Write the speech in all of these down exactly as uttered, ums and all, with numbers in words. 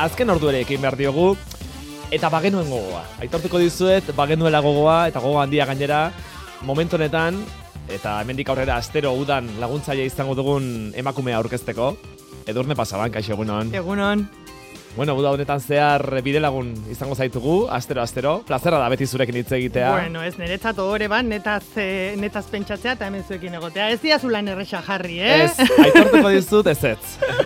azken ordu ere ekin behar diogu, eta bagenuen gogoa. Aitortuko dizuet, bagenuela gogoa, eta gogoa handia gainera, momentu honetan, eta hemendik aurrera astero udan laguntzaile izango dugun emakumea aurkezteko. Edurne Pasaban, kaixo, egunon. Egunon. Bueno, uda honetan zehar bidelagun izango zaitugu, astero, astero. Plazera da beti zurekin hitz egitea. Bueno, ez niretzat ohore ban, netaz, eh, netaz pentsatzea eta hemen zuekin egotea. Ez diazu lan erresa jarri, eh? Ez, aitortuko dizut ez ez.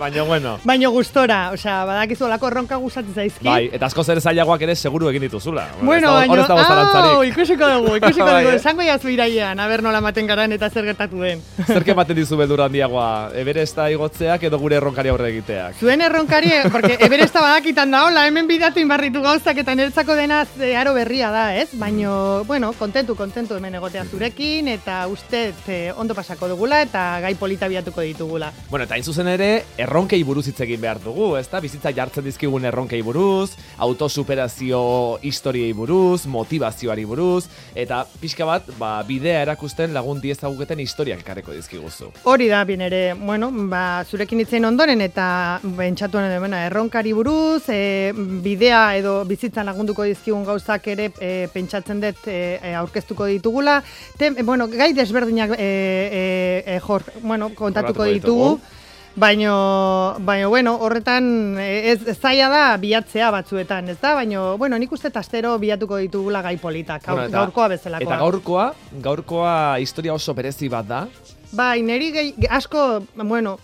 Baina, bueno. Baina gustora, osea, badakizu olako erronka gustatzen zaizki. Bai, eta asko zer zailagoak ere seguru egin dituzula. Bueno, baina, hor ez dago zalantzarik. hau, ikusiko dugu, ikusiko Bai, dugu. eh? Esango jazu irailean, aber nola maten garan eta zer gertatu den. Zerke ematen dizu beldur handiagoa, Everesta igotzeak edo gure erronkari aurre egiteak? Zuen erronkari, porque Everesta badakitan da, hola, hemen bidatu inbarritu gauzak eta niretzako dena aro berria da, ez? Baina, bueno, kontentu, kontentu hemen egotea zurekin eta uste eh, ondo pasako dugula eta gai polita biatuko ditugula. Bueno, eta hain zuzen ere, erronkei buruz hitz egin behar dugu, ezta? Bizitza jartzen dizkigun erronkei buruz, autosuperazio historiei buruz, motivazioari buruz, eta pixka bat, ba, bidea erakusten lagun diezaguketen historiak ekarreko dizkiguzu. Hori da, bien ere, bueno, ba, zurekin hitzein ondoren eta bentsatuan edo, erronkari buruz, e, bidea edo bizitzan lagunduko dizkigun gauzak ere e, pentsatzen dut e, aurkeztuko ditugula. Te, e, bueno, gai desberdinak e, e, e, jor, bueno, kontatuko ditugu. Baino, baino, bueno, horretan ez, ez zaila da bilatzea batzuetan, ez da? Baino, bueno, nik uste astero bilatuko ditugula gai politak, gaur, bueno, eta, gaurkoa bezalakoa. Eta gaurkoa, gaurkoa historia oso berezi bat da. Bai, niri gehi, asko, bueno,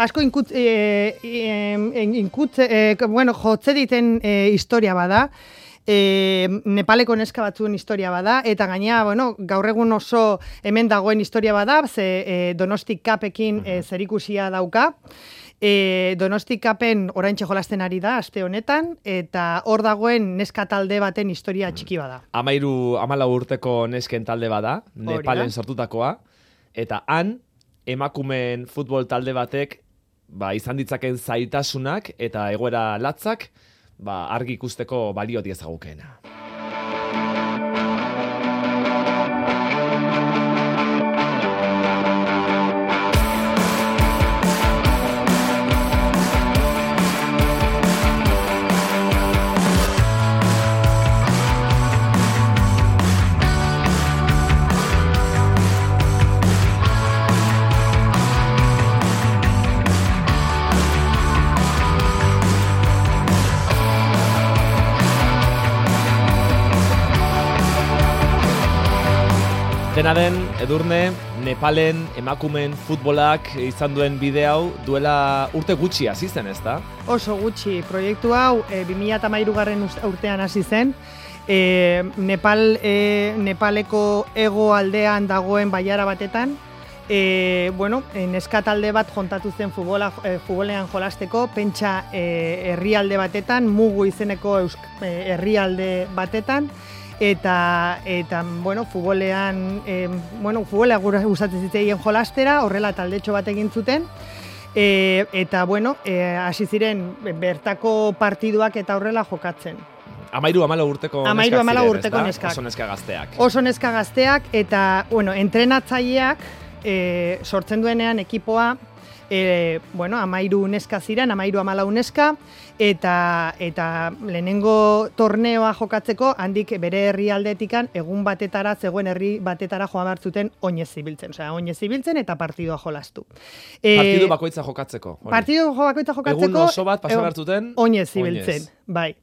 asko inkut, e, e, inkut, e, bueno, jotze diten e, historia bada. E, Nepaleko neska batzuen historia bada, eta gaina, bueno, gaur egun oso hemen dagoen historia bada, ze e, Donosti Cupekin e, zerikusia dauka. E, Donosti Cupen oraintxe jolasten ari da, aste honetan, eta hor dagoen neska talde baten historia txiki bada. Amairu, amalau urteko nesken talde bada, Nepalen sortutakoa, eta han, emakumeen futbol talde batek, ba, izan ditzaken zaitasunak eta egoera latzak, ba, argi ikusteko balio diezagukeena. Dena den, Edurne, Nepalen emakumen futbolak izan duen bide hau duela urte gutxi hasi zen, ezta? Oso gutxi. Proiektu hau e, bi mila hamairugarren urtean hasi zen. E, Nepal, e, Nepaleko hego aldean dagoen bailara batetan. E, bueno, e, neska talde bat jontatu zen futbola, e, futbolean jolasteko, pentsa e, herrialde batetan, Mugu izeneko eusk, e, herrialde batetan. Eta, eta bueno, futbolean, eh, bueno, futbolea gustatzen zitzaien jolastera, horrela taldetxo bat egin zuten. E, eta, bueno, hasi e, ziren bertako partiduak eta horrela jokatzen. Amairu amala urteko neskak Amairu amala urteko ziren, neskak. Oso neska gazteak. Oso neska gazteak, eta, bueno, entrenatzaileak e, sortzen duenean ekipoa, E, bueno, amairu neska ziren, amairu amalau neska, eta, eta lehenengo torneoa jokatzeko, handik bere herrialdetikan egun batetara, zegoen herri batetara joan behar zuten oinez zibiltzen. Osea, oinez zibiltzen eta partidua jolastu. E, partidu bakoitza jokatzeko. Hori. Partidu bakoitza jokatzeko. Egun oso bat pasa behar zuten. Oinez zibiltzen, bai.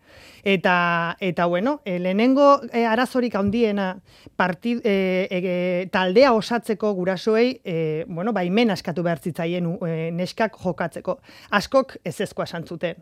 Eta, eta bueno, e, lehenengo e, arazorik handiena partid, e, e, taldea osatzeko gurasoei, e, bueno, baimen askatu behar zitzaien e, neskak jokatzeko. Askok ezezkoa esan zuten.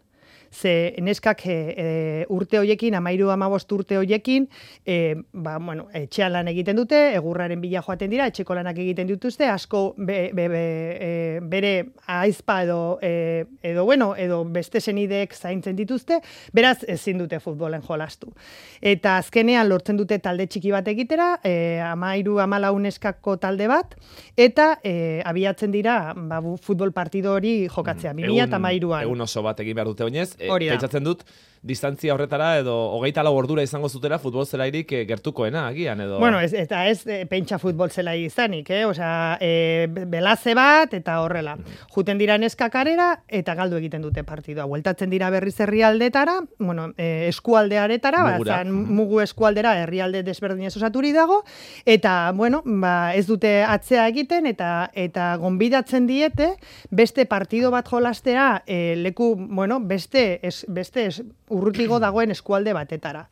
Ze neskak e, e, urte hoiekin, amairu amabost urte hoiekin, e, ba, bueno, etxean lan egiten dute, egurraren bila joaten dira, etxeko lanak egiten dituzte, asko be, be, be, e, bere aizpa edo, e, edo, bueno, edo beste senideek zaintzen dituzte, beraz ezin dute futbolen jolastu. Eta azkenean lortzen dute talde txiki bat egitera, e, amairu amalau neskako talde bat, eta e, abiatzen dira ba, futbol partido hori jokatzea, bi mila hamairuan. Egun oso bat egin behar dute oinez, desberdinez, e, pentsatzen dut, distantzia horretara edo hogeita lau ordura izango zutela futbol zelairik e, gertukoena agian edo... Bueno, ez, eta ez e, pentsa futbol zelai izanik, eh? Osea, e, belaze bat eta horrela. Juten dira neskakarera eta galdu egiten dute partidua. Bueltatzen dira berriz herrialdetara, bueno, e, eskualdearetara, ba, zan, mugu eskualdera herrialde desberdinez osaturi dago, eta, bueno, ba, ez dute atzea egiten eta eta gonbidatzen diete beste partido bat jolastea e, leku, bueno, beste, es, beste es, urrutigo dagoen eskualde batetara.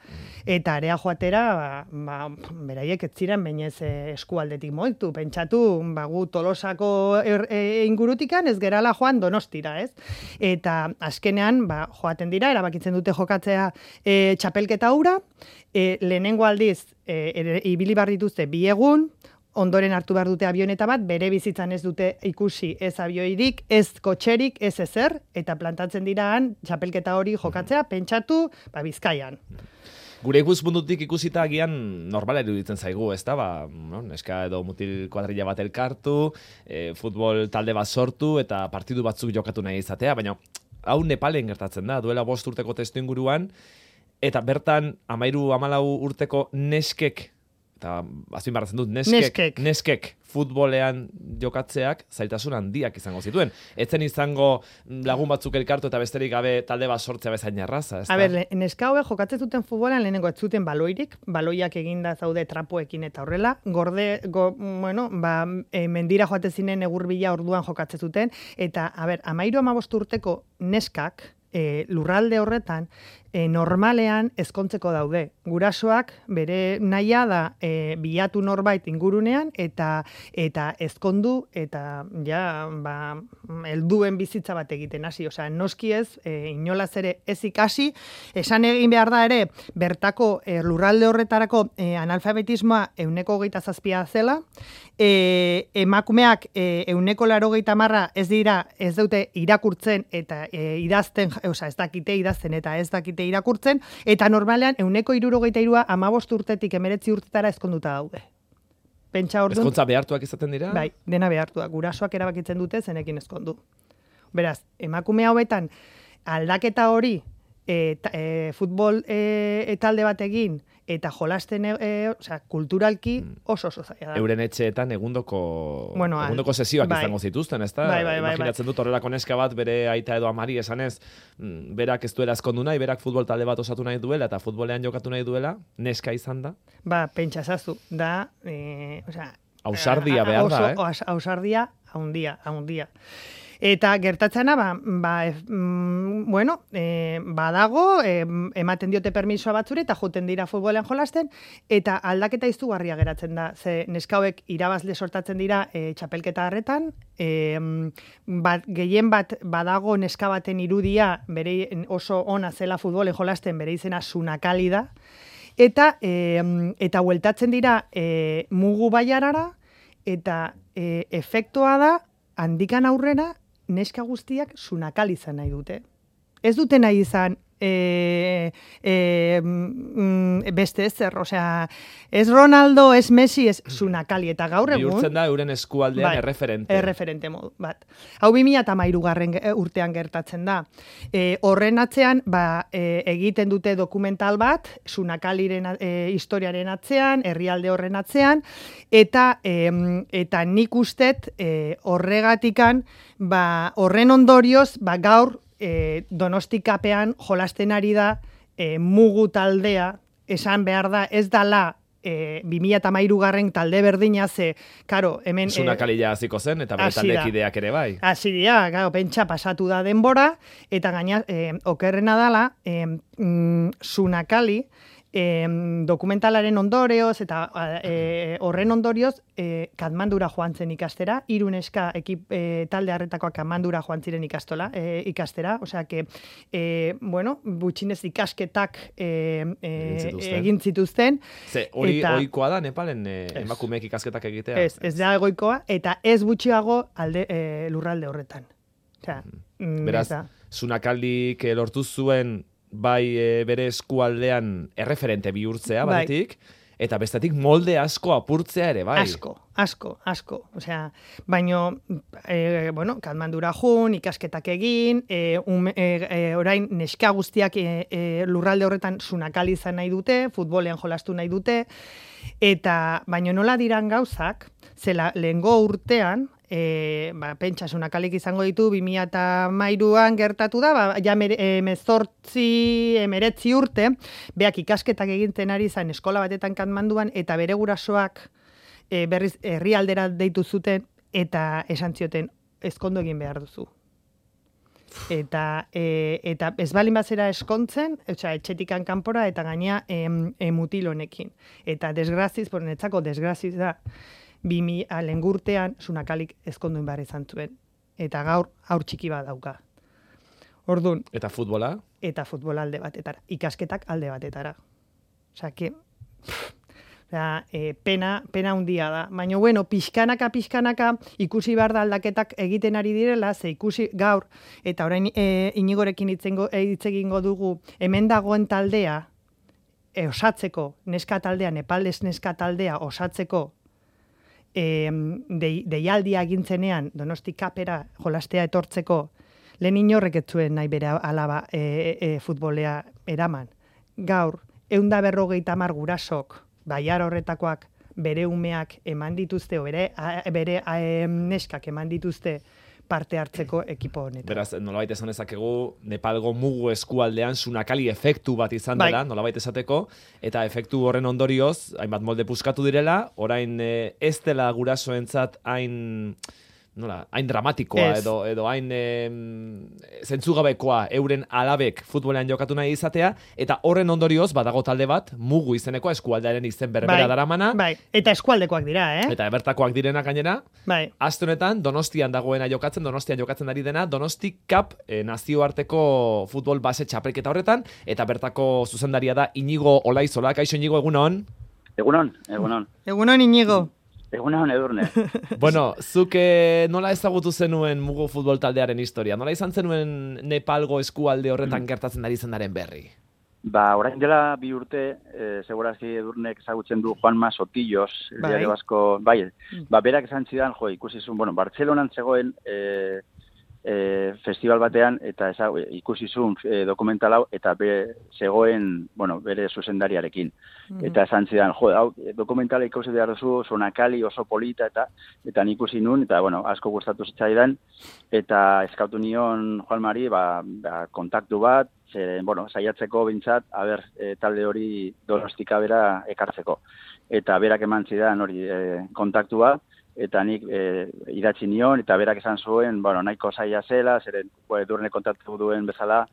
Eta area joatera, ba, ba, beraiek ez ziren bainez eskualdetik moitu. Pentsatu, ba, gu Tolosako er, e, ingurutikan ez gerala joan Donostira, ez? Eta azkenean, ba, joaten dira, erabakitzen dute jokatzea e, txapelketa hura, e, lehenengo aldiz, e, e, ibili bar dituzte bi egun, ondoren hartu behar dute avioneta bat, bere bizitzan ez dute ikusi ez avioirik, ez kotxerik, ez ezer, eta plantatzen diraan txapelketa hori jokatzea, pentsatu, ba, Bizkaian. Gure ikuspuntutik ikusita agian normala iruditzen zaigu, ez da? Ba, no, neska edo mutil kuadrilla bat elkartu, e, futbol talde bat sortu, eta partidu batzuk jokatu nahi izatea, baina hau Nepalen gertatzen da, duela bost urteko testu inguruan, eta bertan amairu amalau urteko neskek, eta azpin barratzen dut, neskek, neskek. neskek futbolean jokatzeak zailtasun handiak izango zituen. Etzen izango lagun batzuk elkartu eta besterik gabe talde bat sortzea bezain erraza. A ber, neska hauek jokatzen zuten futbolean lehenengo ez zuten baloirik, baloiak eginda zaude trapoekin eta horrela, gorde, go, bueno, ba, e, mendira joate zinen egurbila orduan jokatzen zuten, eta, a ber, amairu amabost urteko neskak, E, lurralde horretan, e, normalean ezkontzeko daude. Gurasoak bere nahia da e, bilatu norbait ingurunean eta eta ezkondu eta ja, ba, helduen bizitza bat egiten hasi. Osea, noski ez, e, inolaz ere ez ikasi, esan egin behar da ere, bertako e, lurralde horretarako e, analfabetismoa euneko hogeita zazpia zela, e, emakumeak e, euneko larogeita marra ez dira, ez dute irakurtzen eta e, idazten, osea, ez dakite idazten eta ez dakite irakurtzen, eta normalean euneko hirurogeita hirua hamabost urtetik emeretzi urtetara ezkonduta daude. Pentsa ordun. Ezkontza behartuak izaten dira? Bai, dena behartuak. Gurasoak erabakitzen dute zenekin ezkondu. Beraz, emakume hauetan aldaketa hori e, ta, e, futbol e, talde bat egin eta jolasten, e, osea, kulturalki oso oso zaila da. Euren etxeetan egundoko, bueno, egundoko sesioak bai. Izango zituzten, ezta? Bai, bai, bai, imaginatzen bai. dut horrelako neska bat bere aita edo amari esanez, berak ez duela ezkondu nahi, berak futbol talde bat osatu nahi duela eta futbolean jokatu nahi duela, neska izan da? Ba, pentsa zazu, da, e, osea, ausardia behar da, eh? Oso, ausardia, haundia, haundia. Eta gertatzena, ba, ba, e, mm, bueno, e, badago, e, ematen diote permisoa batzure, eta joten dira futbolean jolasten, eta aldaketa izugarria geratzen da. Ze neskauek irabazle sortatzen dira e, txapelketa harretan, e, bat, gehien bat badago neska baten irudia, bere oso ona zela futbolen jolasten, bere izena Sunakali da, eta, e, eta hueltatzen dira e, mugu baiarara, eta e, efektua da, handikan aurrera, neska guztiak Sunakali izan nahi dute. Ez dute nahi izan e, e, mm, beste ezer, osea, ez Ronaldo, ez Messi, ez Sunakali, eta gaur egun... Bihurtzen da euren eskualdean bai, erreferente. Erreferente modu, bat. Hau bi mila hamairugarren urtean gertatzen da. E, horren atzean, ba, e, egiten dute dokumental bat, Sunakaliren e, historiaren atzean, herrialde horren atzean, eta, e, eta nik ustet e, horregatikan, ba, horren ondorioz, ba, gaur, E, Donostikapean jolasten ari da e, mugu taldea, esan behar da, ez dala e, bi mila hamairugarren talde berdina ze, karo, hemen... Sunakalila hasiko zen, eta bere taldekideak ere bai. Hasi dira, karo, pentsa pasatu da denbora, eta gaina, e, okerrena dala, e, mm, Sunakali, E, dokumentalaren ondorioz eta e, horren ondorioz e, Katmandura joan zen ikastera, hiru neska ekip, e, talde harretakoak Katmandura joan ziren ikastola, e, ikastera, osea que e, bueno, gutxinez ikasketak e, e, egin zituzten. Ze, hori ohikoa da Nepalen e, emakumeek ikasketak egitea? Ez, ez da egoikoa, eta ez gutxiago alde, e, lurralde horretan. Osea, mm, beraz, Sunakalik lortu zuen bai e, bere eskualdean erreferente bihurtzea, batetik, bai. Eta bestetik molde asko apurtzea ere, bai. Asko, asko, asko. Osea, baino, e, bueno, Katmandura jun, ikasketak egin, e, um, e, e, orain neska guztiak e, e, lurralde horretan sunakali izan nahi dute, futbolean jolastu nahi dute, eta baino nola diran gauzak, zela lehengo urtean, E, ba, pentsa, sunakalik izango ditu, bi mila hamairuan gertatu da, ba, ja emezortzi, emeretzi urte, beak ikasketak egintzen ari zen eskola batetan Katmanduan, eta bere gurasoak e, berriz herrialdera deitu zuten, eta esan zioten, ezkondu egin behar duzu. Eta, e, eta ez balin bazera eskontzen, etxa, etxetikan kanpora, eta gaina e, e, mutil honekin. Eta desgraziz, netzako desgraziz da, bimi alengurtean sunakalik ezkonduen behar izan zuen. Eta gaur, aur txiki bat dauka. Ordun. Eta futbola? Eta futbola alde batetara. Ikasketak alde batetara. Osa, que... Osa, e, pena, pena hundia da. Baina, bueno, pixkanaka, pixkanaka, ikusi behar da aldaketak egiten ari direla, ze ikusi gaur, eta orain e, inigorekin hitz egingo dugu, hemen dagoen taldea, e, osatzeko, neska taldea, Nepaldez neska taldea osatzeko, E, de, deialdia egintzenean Donosti kapera jolastea etortzeko lehen inorrek ez zuen nahi bere alaba e, e, futbolea eraman. Gaur, eunda berrogeita hamar gurasok, baiar horretakoak bere umeak eman dituzte, o bere, a, bere a, e, neskak eman dituzte parte hartzeko ekipo honetan. Beraz, nolabait esan ezakegu, Nepalgo mugu eskualdean sunakali efektu bat izan dela, bai. Nolabait esateko, eta efektu horren ondorioz, hainbat molde puskatu direla, orain eh, ez dela gurasoentzat hain... nola, hain dramatikoa edo, edo hain e, zentzugabekoa euren alabek futbolean jokatu nahi izatea, eta horren ondorioz badago talde bat, mugu izeneko eskualdearen izen berbera bai, daramana. Bai, eta eskualdekoak dira, eh? Eta bertakoak direnak gainera. Bai. Aste honetan Donostian dagoena jokatzen, Donostian jokatzen ari dena, Donosti Cup e, nazioarteko futbol base txapelketa horretan, eta bertako zuzendaria da Inigo Olaizola. Kaixo Inigo, egunon? Egunon, egunon. Egunon Inigo. Egunon, Edurne. Bueno, zuk eh, nola ezagutu zenuen mugu futbol taldearen historia? Nola izan zenuen Nepalgo eskualde horretan gertatzen ari zenaren berri? Ba, orain dela bi urte, eh, segurazki Edurnek ezagutzen du Juanma Sotillos, bai. Diario Basko, bai, ba, berak esan zidan, jo, ikusi zuen, bueno, Bartzelonan zegoen eh, eh, festival batean, eta eza, ikusi zuen eh, dokumental hau, eta be, zegoen, bueno, bere zuzendariarekin. Mm-hmm. Eta esan zidan, jo, hau, dokumentala ikusi behar duzu, Sunakali oso polita, eta eta nik ikusi nun, eta, bueno, asko gustatu zitzaidan, eta eskautu nion Juan Mari, ba, ba, kontaktu bat, zeren, bueno, saiatzeko bintzat, aber, e, talde hori Donostika bera ekartzeko. Eta berak eman zidan hori e, kontaktua, eta nik e, idatzi nion, eta berak esan zuen, bueno, nahiko zaila zela, zeren Edurne kontatu duen bezala,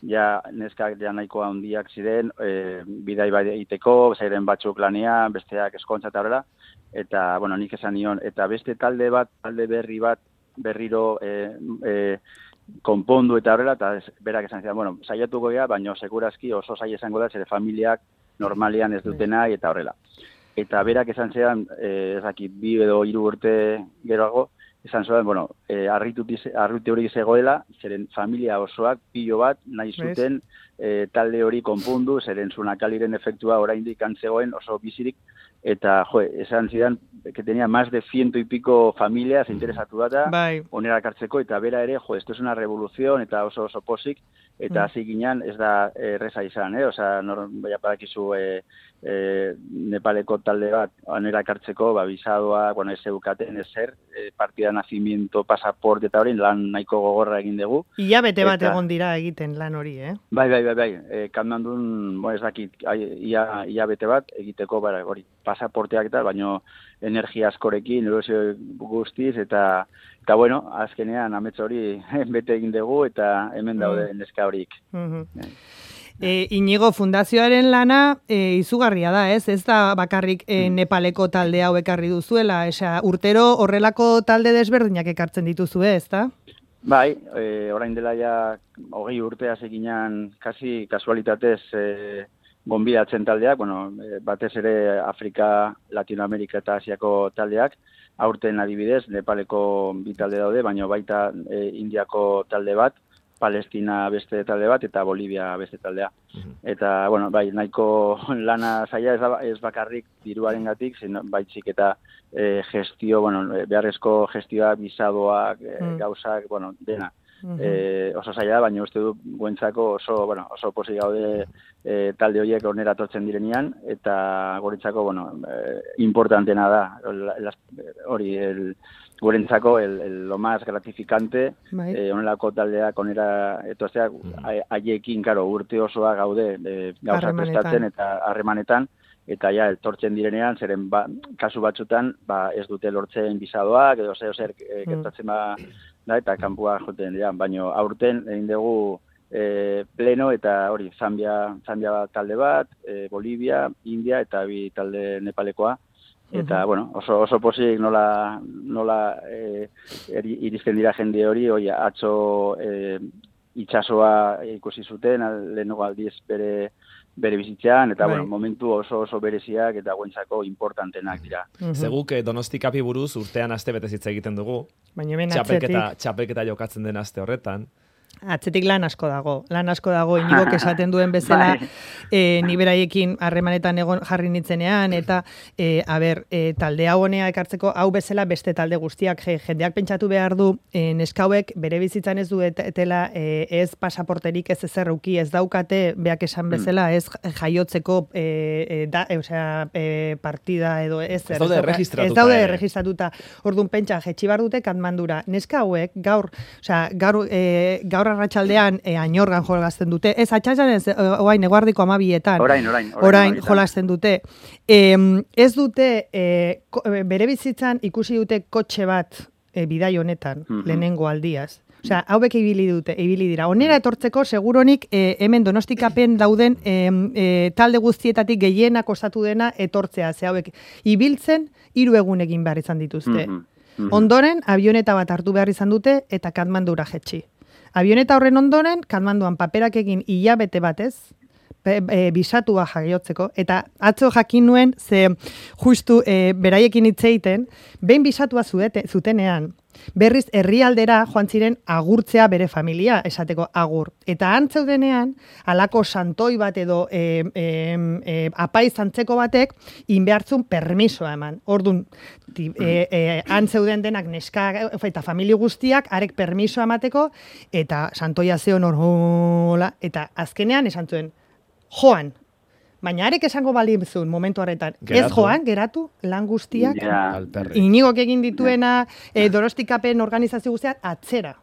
ja neskak ja nahiko handiak ziren, e, bidai bai egiteko, zeren batzuk lanean, besteak eskontza eta horrela, eta, bueno, nik esan nion, eta beste talde bat, talde berri bat, berriro e, e, konpondu eta horrela, eta ez, berak esan zidan, bueno, saiatuko gea, baina segurazki oso zaila izango da, zere familiak normalian ez dutena eta horrela. Eta berak esan zean, eh, ezakit, bi edo hiru urte geroago, esan zuen, bueno, eh, arritu hori zegoela, zeren familia osoak, pilo bat, nahi zuten eh, talde hori konpundu, zeren Sunakaliren efektua oraindik antzegoen oso bizirik, eta, jo, esan zidan, que tenía más de ciento y pico familias interesatu data, bai. Onera kartzeko, eta bera ere, jo, esto es una revolución, eta oso oso posik, eta hasi mm. ginean ez da erreza izan, eh? Osa, nor, baina badakizu eh, eh, Nepaleko talde bat, onera kartzeko, ba, bisadoa, bueno, ez eukaten ezer, eh, partida nacimiento, pasaporte eta hori, lan nahiko gogorra egin dugu. Ia bete bat eta, egon dira egiten lan hori, eh? Bai, bai, bai, bai, eh, Katmandun, bueno, ez dakit, ia, ia bete bat egiteko, bara, hori, pasaporteak eta, baino energia askorekin, erosio guztiz, eta, eta bueno, azkenean amets hori bete egin dugu, eta hemen daude mm. neska horik. Mm-hmm. E, Inigo, fundazioaren lana e, izugarria da, ez? Ez da bakarrik e, Nepaleko talde hau ekarri duzuela, esa, urtero horrelako talde desberdinak ekartzen dituzu, ez da? Bai, e, orain dela ja hogei urtea eginan, kasi kasualitatez, e, gonbidatzen taldeak, bueno, batez ere Afrika, Latinoamerika eta Asiako taldeak, aurten adibidez, Nepaleko bi talde daude, baina baita e, Indiako talde bat, Palestina beste talde bat, eta Bolivia beste taldea. Mm-hmm. Eta, bueno, bai, nahiko lana zaila ez, da, ez bakarrik diruaren gatik, baitzik eta e, gestio, bueno, beharrezko gestioa, bisadoak, e, mm. gauzak, bueno, dena. Mm-hmm. E, oso zaila, baina uste du guentzako oso, bueno, oso posi gaude e, talde horiek onera tortzen direnean, eta goretzako, bueno, e, importantena da, hori, el, gurentzako el, el, lo más gratificante, eh, onelako taldeak onera etortzeak, haiekin, karo, urte osoa gaude, e, gauza prestatzen eta harremanetan, eta ja, etortzen direnean, zeren ba, kasu batzutan, ba, ez dute lortzen bisadoak, edo zer, zer, e, gertatzen ba, da, eta kanpua joten dira, baina aurten egin dugu e, pleno eta hori, Zambia, Zambia talde bat, e, Bolivia, India eta bi talde Nepalekoa, eta, uh-huh. bueno, oso, oso posik nola, nola e, iristen dira jende hori, hori atzo e, itxasoa ikusi zuten, lehenengo aldiz bere, bere bizitzean, eta, bueno, momentu oso oso bereziak eta guentzako importantenak dira. Uh-huh. Zeguk Donosti Kapi buruz urtean aste betez hitz egiten dugu. Baina hemen txapelketa, txapelketa jokatzen den aste horretan. Atzetik lan asko dago, lan asko dago, Inigok esaten duen bezala, e, ni beraiekin harremanetan egon jarri nitzenean, eta, e, a ber, e, talde hau honea ekartzeko, hau bezala beste talde guztiak, je, jendeak pentsatu behar du, e, neskauek bere bizitzan ez duetela, e, ez pasaporterik, ez ezer uki, ez daukate, beak esan bezala, ez jaiotzeko, e, e, da, e, osea, e, partida edo ez, ez daude registratuta. Ez daude registratuta. Orduan pentsa, jetxi bar dute Katmandura. Neska hauek, gaur, osea, gaur, e, gaur arratsaldean e, Añorgan jolazten dute. Ez, atxatxan ez, oain, eguardiko amabietan. Orain, orain. Orain, orain jolazten dute. E, ez dute, e, ko, bere bizitzan ikusi dute kotxe bat e, bidai honetan, mm-hmm. lehenengo aldiaz. Osea, hauek ibili dute, ibili dira. Onera etortzeko, seguronik, e, hemen Donostikapen dauden e, e, talde guztietatik gehienak osatu dena etortzea. Ze hauek ibiltzen, hiru egun egin behar izan dituzte. Mm-hmm. Mm-hmm. Ondoren, avioneta bat hartu behar izan dute eta Katmandura jetxi. Avioneta horren ondoren, Katmanduan paperak egin hilabete batez, e, e, bisatua jaiotzeko, eta atzo jakin nuen, ze justu e, beraiekin hitz egiten, behin bisatua zuete, zutenean, berriz herrialdera joan ziren agurtzea bere familia, esateko agur. Eta antzeudenean, alako santoi bat edo e, e, e, apaiz antzeko batek, inbehartzun permisoa eman. Orduan, e, e, antzeuden denak neska eta famili guztiak, arek permisoa emateko, eta santoia zeon hor, eta azkenean esan zuen, joan. Baina arek esango balizun momentu horretan. Geratu. Ez joan, geratu, lan guztiak, yeah. Inigok egin dituena, e, Donostikapen organizazio guztiak, atzera.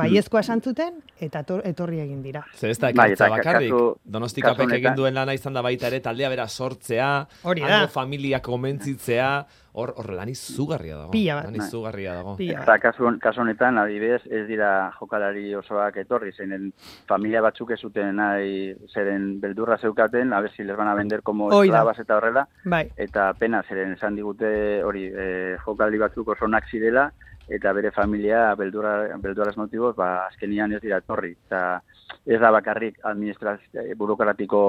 Baiezkoa esan zuten, eta etorri egin dira. Zer ez da ekartza bakarrik, Donostikapek egin duen lana izan da baita ere, taldea bera sortzea, hango familia komentzitzea, hor, hor lan izugarria dago. Pila bat. Lan izugarria dago. Eta kasu, kasu honetan, adibidez, ez dira jokalari osoak etorri, zeinen familia batzuk ez zuten nahi, zeren beldurra zeukaten, a ver si les van a vender como esclavas eta horrela, bai. Eta pena, zeren esan digute hori, eh, jokalari batzuk oso onak zirela, eta bere familia beldurra, beldurraz motiboz, ba, azkenian ez dira etorri. Eta ez da bakarrik administrazio burokratiko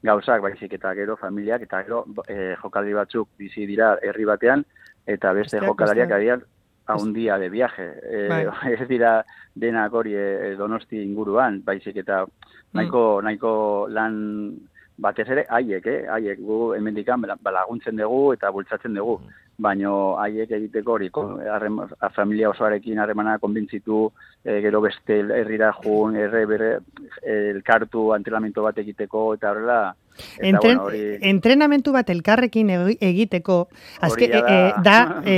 gauzak, baizik eta gero familiak, eta gero e, jokaldi batzuk bizi dira herri batean, eta beste Estea, jokalariak adian a un día de viaje. E, ez dira denak hori e, Donosti inguruan, baizik eta nahiko, mm. nahiko lan batez ere, haiek, eh? haiek gu hemendikan laguntzen dugu eta bultzatzen dugu. Mm. Baina haiek egiteko hori, familia osoarekin harremana konbintzitu, e, gero beste herrira jun, erre bere elkartu antrenamentu bat egiteko, eta horrela... Entren, bueno, ori... Entrenamentu bat elkarrekin egiteko, azke, da, e, da e,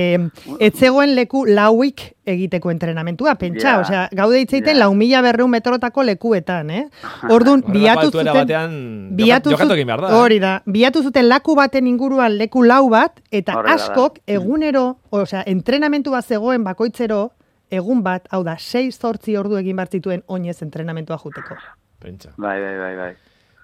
etzegoen leku lauik egiteko entrenamentua, pentsa, yeah. osea, gaude hitzeiten yeah. lau mila berreun metrotako lekuetan, eh? Orduan, biatu zuten... Biatu zuten, hori da, biatu zuten laku baten inguruan leku lau bat, eta Horrela askok da. egunero, osea, entrenamentu bat zegoen bakoitzero, egun bat, hau da, sei zortzi ordu egin bartzituen oinez entrenamentua juteko. Pentsa. Bai, bai, bai, bai.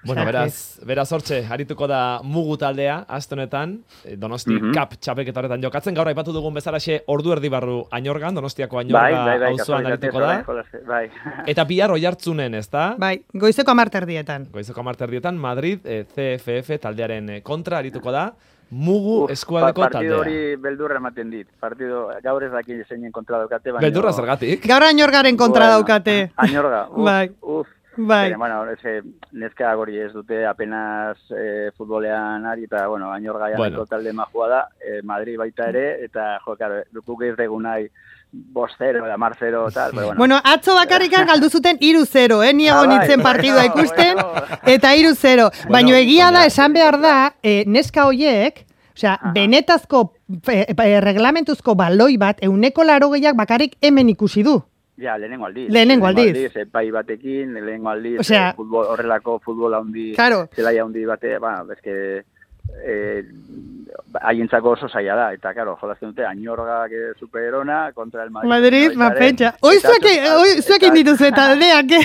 Bueno, beraz, beraz hortze, harituko da Mugu taldea, aste honetan, Donosti mm -hmm. Cup txapelketa horretan jokatzen, gaur aipatu dugun bezalaxe ordu erdi barru Añorgan, Donostiako Añorga auzoan harituko da. Bai. Eta bihar Oiartzunen, ezta? Bai, goizeko amarterdietan. Goizeko amarterdietan, Madrid, eh, C F F taldearen kontra harituko da. Mugu eskualdeko taldea. Partido hori beldurra ematen dit. Partido, gaur ez daki zeinen kontra daukate. Beldurra zergatik? Gaur Añorgaren kontra daukate. Añorga, uf, bai. uf. Bai. Bene, bueno, ese, neska gori ez dute apenas eh, futbolean ari, eta, bueno, Añorga janeko bueno. talde majua da, eh, Madrid baita ere, eta, jo, karo, dukuk ez degun nahi, bost zero, da mar zero, tal, pero bueno. Bueno, atzo bakarrikan galdu zuten iru zero, eh, niego nintzen ah, partidua ikusten, eta iru zero. Bueno, baina egia da, esan behar da, eh, neska hoiek, osea, benetazko, eh, eh, reglamentuzko baloi bat, euneko laro gehiak bakarrik hemen ikusi du. Ja, lehenengo aldiz. Lehenengo aldiz. Epai batekin, lehenengo aldiz, o sea, futbol, horrelako futbol handi, claro. Zelaia handi bate, ba, bezke, eh, haientzako oso zaila da, eta, karo, jolazten dute, Añorga que superona, kontra el Madrid. Madrid, no, ma pentsa. Hoi zuek indituzu eta aldeak, eh?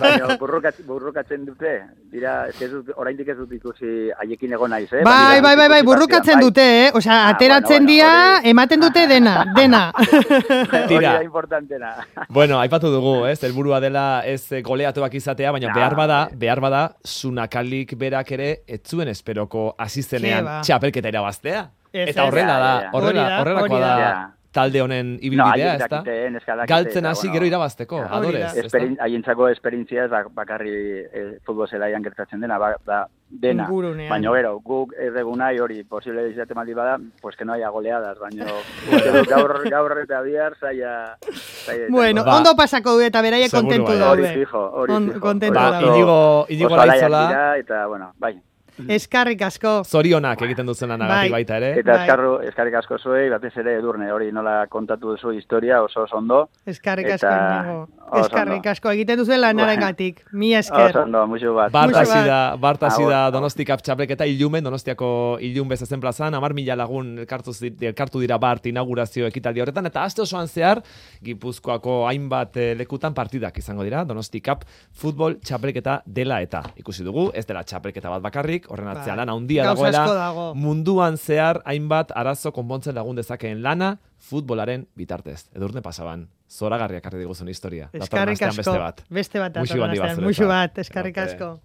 Baina, burrukatzen dute, dira, ez dut, oraindik ez dut ikusi haiekin egon naiz, eh? Bai, bai, bai, bai, burrukatzen dute, eh? Osea, ateratzen dira, ematen dute dena, dena. Hori da importantena. Bueno, aipatu dugu, ez, helburua dela ez goleatuak izatea, baina behar bada, behar bada, Sunakalik berak ere, etzuen esperoko asizenean txapelketa irabaztea. Eta horrela da, horrela, horrelakoa da talde honen ibilbidea, ez da? Galtzen hasi gero irabazteko, adorez. Haientzako esperientzia ez bakarri futbol zelaian gertatzen dena, dena. Baina gero, guk erregunai hori posible izate maldi bada, pues que no haya goleadas, baina gaur eta bihar zaila... Bueno, ondo pasako du eta beraie kontentu daude. Hori fijo, hori fijo. Kontentu daude. Inigo Laizola. Eta, bueno, bai. Eskarrik asko. Zorionak egiten duzen lanagatik baita ere. Eta eskarru, eskarrik asko zuei, batez ere Edurne, hori nola kontatu duzu historia oso oso ondo. Eskarrik asko nago. Eskarrik asko egiten duzen lanarengatik. Mi esker. Oso ondo, muxu bat. Bartasi da, bartasi da Donosti Cup txapelketa Ilumen, Donostiako Ilun bezazen plazan, hamar mila lagun elkartu, elkartu dira bart inaugurazio ekitaldi horretan, eta aste osoan zehar, Gipuzkoako hainbat lekutan partidak izango dira, Donosti Cup futbol txapelketa dela eta. Ikusi dugu, ez dela txapelketa bat bakarrik, horren atzean lan handia dagoela, munduan zehar hainbat arazo konpontzen lagun dezakeen lana futbolaren bitartez. Edurne pasaban, zoragarriak arri diguzun historia. Eskarrik asko, beste bat, muxu bat, eskarrik asko.